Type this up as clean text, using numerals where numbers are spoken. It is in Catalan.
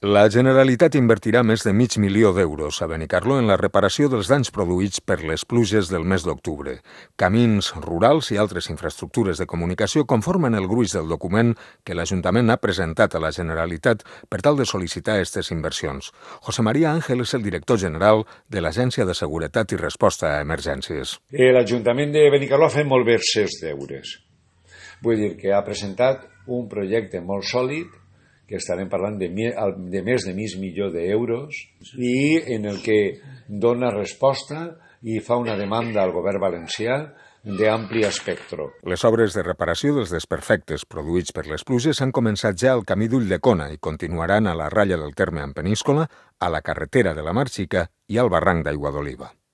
La Generalitat invertirà més de $500.000 a Benicarló en la reparació dels danys produïts per les pluges del mes d'octubre. Camins rurals i altres infraestructures de comunicació conformen el gruix del document que l'Ajuntament ha presentat a la Generalitat per tal de sol·licitar aquestes inversions. José María Ángel és el director general de l'Agència de Seguretat i Resposta a Emergències. L'Ajuntament de Benicarló ha fet molt bé els seus deures. Vull dir que ha presentat un projecte molt sòlid, que estarem parlant de més de $500.000 i en el que dona resposta i fa una demanda al govern valencià d'ampli espectre. Les obres de reparació dels desperfectes produïts per les pluges han començat ja al camí d'Ulldecona i continuaran a la ratlla del terme en Peníscola, a la carretera de la Mar Xica i al barranc d'Aigua d'Oliva.